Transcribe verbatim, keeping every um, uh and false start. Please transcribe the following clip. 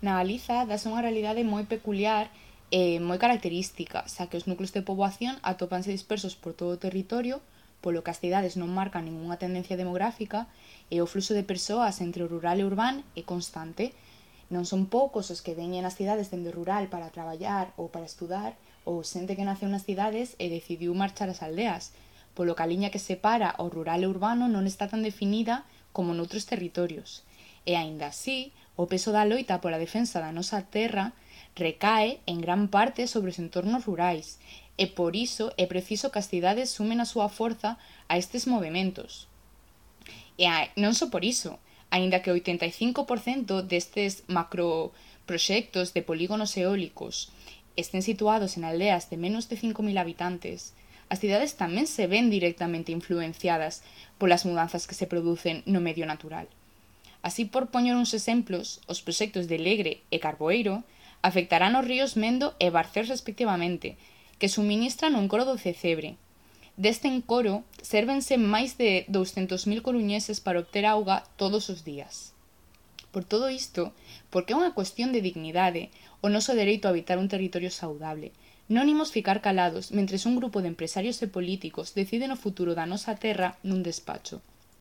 Na Galiza dase unha realidade moi peculiar e moi característica, xa que os núcleos de poboación atópanse dispersos por todo o territorio, polo que as cidades non marcan ningunha tendencia demográfica e o fluxo de persoas entre o rural e o urbán é constante. Non son poucos os que veñen ás cidades dende o rural para traballar ou para estudar, ou xente que naceu nas cidades e decidiu marchar ás aldeas, polo que a liña que separa o rural e o urbano non está tan definida como noutros territorios. E aínda así, o peso da loita pola defensa da nosa terra recae en gran parte sobre os entornos rurais, e por iso é preciso que as cidades sumen a súa forza a estes movementos. E non só por iso, aínda que o oitenta e cinco por cento destes macroproxectos de polígonos eólicos estén situados en aldeas de menos de cinco mil habitantes, as cidades tamén se ven directamente influenciadas polas mudanzas que se producen no medio natural. Así, por poñer uns exemplos, os proxectos de Legre e Carboeiro afectarán os ríos Mendo e Barcés respectivamente, que suministran un coro do Cecebre. Deste encoro sérvense máis de douscentos mil coruñeses para obter auga todos os días. Por todo isto, porque é unha cuestión de dignidade o noso dereito a habitar un territorio saudable, non imos ficar calados mentres un grupo de empresarios e políticos deciden o futuro da nosa terra nun despacho.